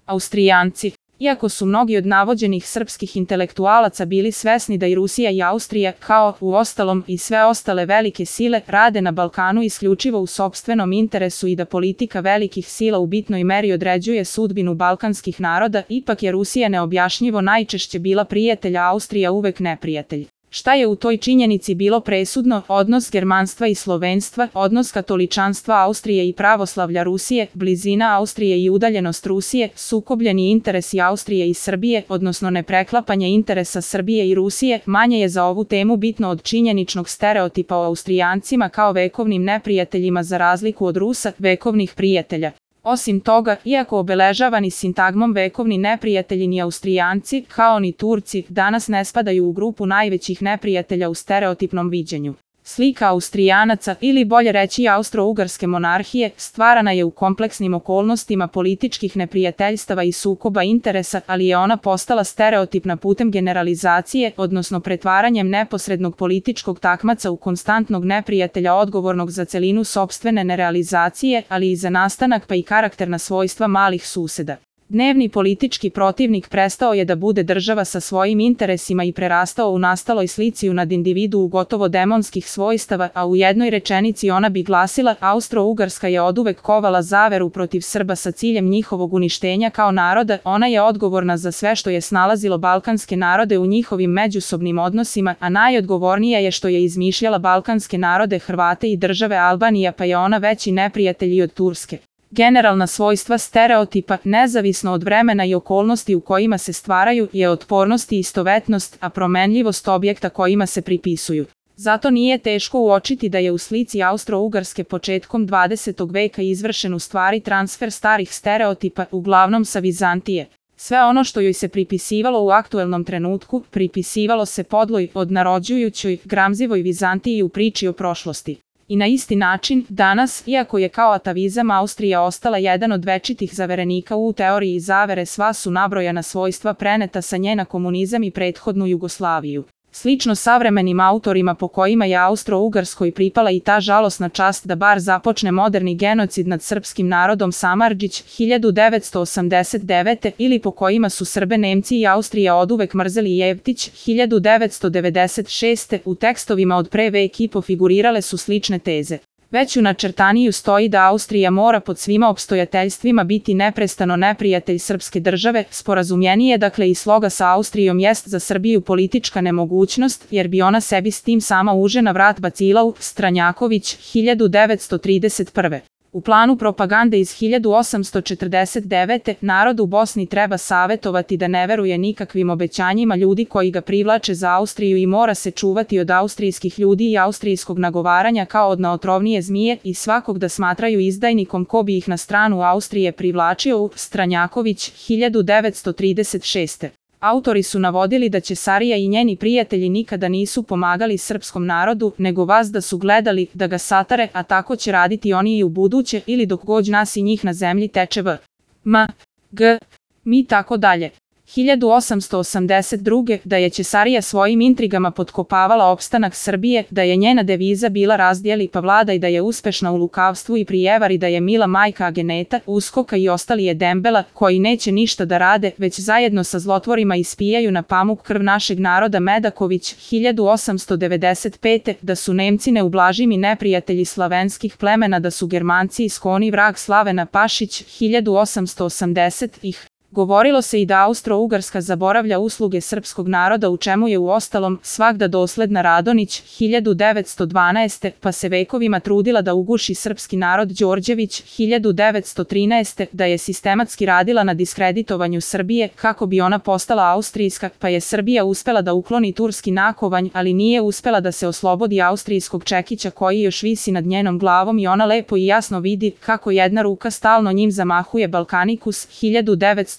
Austrijanci. Iako su mnogi od navođenih srpskih intelektualaca bili svesni da i Rusija i Austrija, kao, uostalom, i sve ostale velike sile, rade na Balkanu isključivo u sopstvenom interesu i da politika velikih sila u bitnoj meri određuje sudbinu balkanskih naroda, ipak je Rusija neobjašnjivo najčešće bila prijatelj, a Austrija uvek neprijatelj. Šta je u toj činjenici bilo presudno? Odnos germanstva i slovenstva, odnos katoličanstva Austrije i pravoslavlja Rusije, blizina Austrije i udaljenost Rusije, sukobljeni interesi Austrije i Srbije, odnosno nepreklapanje interesa Srbije i Rusije, manje je za ovu temu bitno od činjeničnog stereotipa o Austrijancima kao vekovnim neprijateljima za razliku od Rusa, vekovnih prijatelja. Osim toga, iako obeležavani sintagmom vekovni neprijatelji ni Austrijanci, kao ni Turci, danas ne spadaju u grupu najvećih neprijatelja u stereotipnom viđenju. Slika Austrijanaca, ili bolje reći Austro-Ugarske monarhije, stvarana je u kompleksnim okolnostima političkih neprijateljstava i sukoba interesa, ali je ona postala stereotipna putem generalizacije, odnosno pretvaranjem neposrednog političkog takmaca u konstantnog neprijatelja odgovornog za celinu sopstvene nerealizacije, ali i za nastanak pa i karakterna svojstva malih suseda. Dnevni politički protivnik prestao je da bude država sa svojim interesima i prerastao u nastaloj slici nad individuu gotovo demonskih svojstava, a u jednoj rečenici ona bi glasila: Austro-Ugarska je oduvek kovala zaveru protiv Srba sa ciljem njihovog uništenja kao naroda, ona je odgovorna za sve što je snalazilo balkanske narode u njihovim međusobnim odnosima, a najodgovornija je što je izmišljala balkanske narode, Hrvate i države Albanija, pa je ona veći neprijatelj i od Turske. Generalna svojstva stereotipa, nezavisno od vremena i okolnosti u kojima se stvaraju, je otpornost i istovetnost, a promenljivost objekta kojima se pripisuju. Zato nije teško uočiti da je u slici Austro-Ugarske početkom 20. veka izvršen u stvari transfer starih stereotipa, uglavnom sa Vizantije. Sve ono što joj se pripisivalo u aktuelnom trenutku, pripisivalo se podloj, odnarođujućoj, gramzivoj Vizantiji u priči o prošlosti. I na isti način, danas, iako je kao atavizam Austrija ostala jedan od večitih zaverenika u teoriji zavere, sva su nabrojana svojstva preneta sa nje na komunizam i prethodnu Jugoslaviju. Slično savremenim autorima po kojima je Austro-Ugarskoj pripala i ta žalosna čast da bar započne moderni genocid nad srpskim narodom, Samardžić, 1989. ili po kojima su Srbe, Nemci i Austrija oduvek mrzeli, Jevtić, 1996. u tekstovima od pre vek i po figurirale su slične teze. Već u načrtaniju stoji da Austrija mora pod svima opstojateljstvima biti neprestano neprijatelj srpske države, sporazumljenije dakle i sloga sa Austrijom jest za Srbiju politička nemogućnost, jer bi ona sebi s tim sama uže na vrat bacila. Stranjaković, 1931. U planu propagande iz 1849. narod u Bosni treba savetovati da ne veruje nikakvim obećanjima ljudi koji ga privlače za Austriju i mora se čuvati od austrijskih ljudi i austrijskog nagovaranja kao od naotrovnije zmije i svakog da smatraju izdajnikom ko bi ih na stranu Austrije privlačio. Stranjaković, 1936. Autori su navodili da Ćesarija i njeni prijatelji nikada nisu pomagali srpskom narodu, nego vas da su gledali da ga satare, a tako će raditi oni i u buduće ili dok god nas i njih na zemlji teče v. M. G. Mi tako dalje. 1882. da je Ćesarija svojim intrigama potkopavala opstanak Srbije, da je njena deviza bila razdjeli pa vladaj, da je uspešna u lukavstvu i prijevari, da je mila majka ageneta, uskoka i ostali je dembela, koji neće ništa da rade, već zajedno sa zlotvorima ispijaju na pamuk krv našeg naroda. Medaković, 1895. da su Nemci neublažimi neprijatelji slavenskih plemena, da su Germanci iskoni vrag Slavena. Pašić, 1880. Govorilo se i da Austro-Ugarska zaboravlja usluge srpskog naroda, u čemu je uostalom svagda dosledna. Radonić, 1912. pa se vekovima trudila da uguši srpski narod. Đorđević, 1913. da je sistematski radila na diskreditovanju Srbije kako bi ona postala austrijska, pa je Srbija uspela da ukloni turski nakovanj, ali nije uspela da se oslobodi austrijskog čekića koji još visi nad njenom glavom i ona lepo i jasno vidi kako jedna ruka stalno njim zamahuje. Balkanikus, 1913.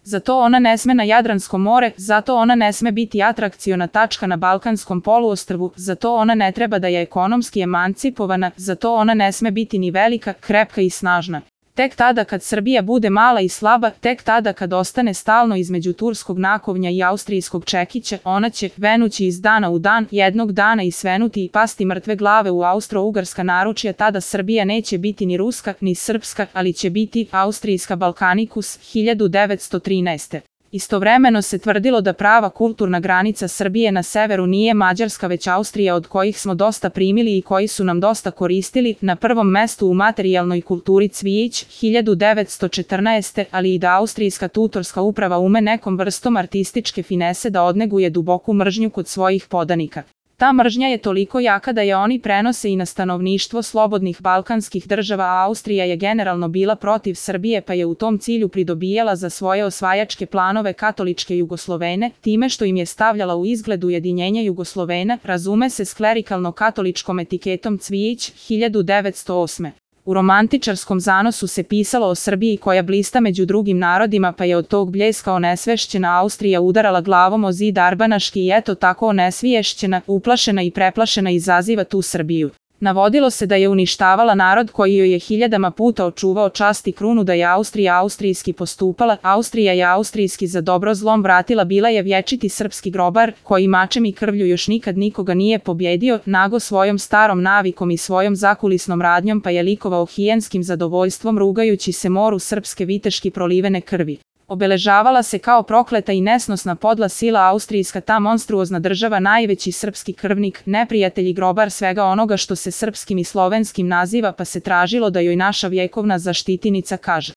Zato ona ne sme na Jadransko more, zato ona ne sme biti atrakciona tačka na Balkanskom poluostrvu, zato ona ne treba da je ekonomski emancipovana, zato ona ne sme biti ni velika, krepka i snažna. Tek tada kad Srbija bude mala i slaba, tek tada kad ostane stalno između turskog nakovnja i austrijskog čekića, ona će, venući iz dana u dan, jednog dana i svenuti i pasti mrtve glave u austro-ugarska naručja. Tada Srbija neće biti ni ruska, ni srpska, ali će biti austrijska Balkanikus 1913. Istovremeno se tvrdilo da prava kulturna granica Srbije na severu nije Mađarska već Austrija, od kojih smo dosta primili i koji su nam dosta koristili, na prvom mestu u materijalnoj kulturi Cvijić 1914. ali i da austrijska tutorska uprava ume nekom vrstom artističke finese da odneguje duboku mržnju kod svojih podanika. Ta mržnja je toliko jaka da je oni prenose i na stanovništvo slobodnih balkanskih država, a Austrija je generalno bila protiv Srbije pa je u tom cilju pridobijala za svoje osvajačke planove katoličke Jugoslovene, time što im je stavljala u izgled ujedinjenja Jugoslovena, razume se s klerikalno-katoličkom etiketom Cvijić 1908. U romantičarskom zanosu se pisalo o Srbiji koja blista među drugim narodima, pa je od tog bljeska onesvešćena Austrija udarala glavom o zid Arbanaški i eto tako onesviješćena, uplašena i preplašena izaziva tu Srbiju. Navodilo se da je uništavala narod koji joj je hiljadama puta očuvao čast i krunu, da je Austrija austrijski postupala, Austrija je austrijski za dobro zlom vratila, bila je vječiti srpski grobar, koji mačem i krvlju još nikad nikoga nije pobjedio, nago svojom starom navikom i svojom zakulisnom radnjom pa je likovao hijenskim zadovoljstvom rugajući se moru srpske viteški prolivene krvi. Obeležavala se kao prokleta i nesnosna podla sila austrijska, ta monstruozna država, najveći srpski krvnik, neprijatelj i grobar svega onoga što se srpskim i slovenskim naziva, pa se tražilo da joj naša vjekovna zaštitinica kaže.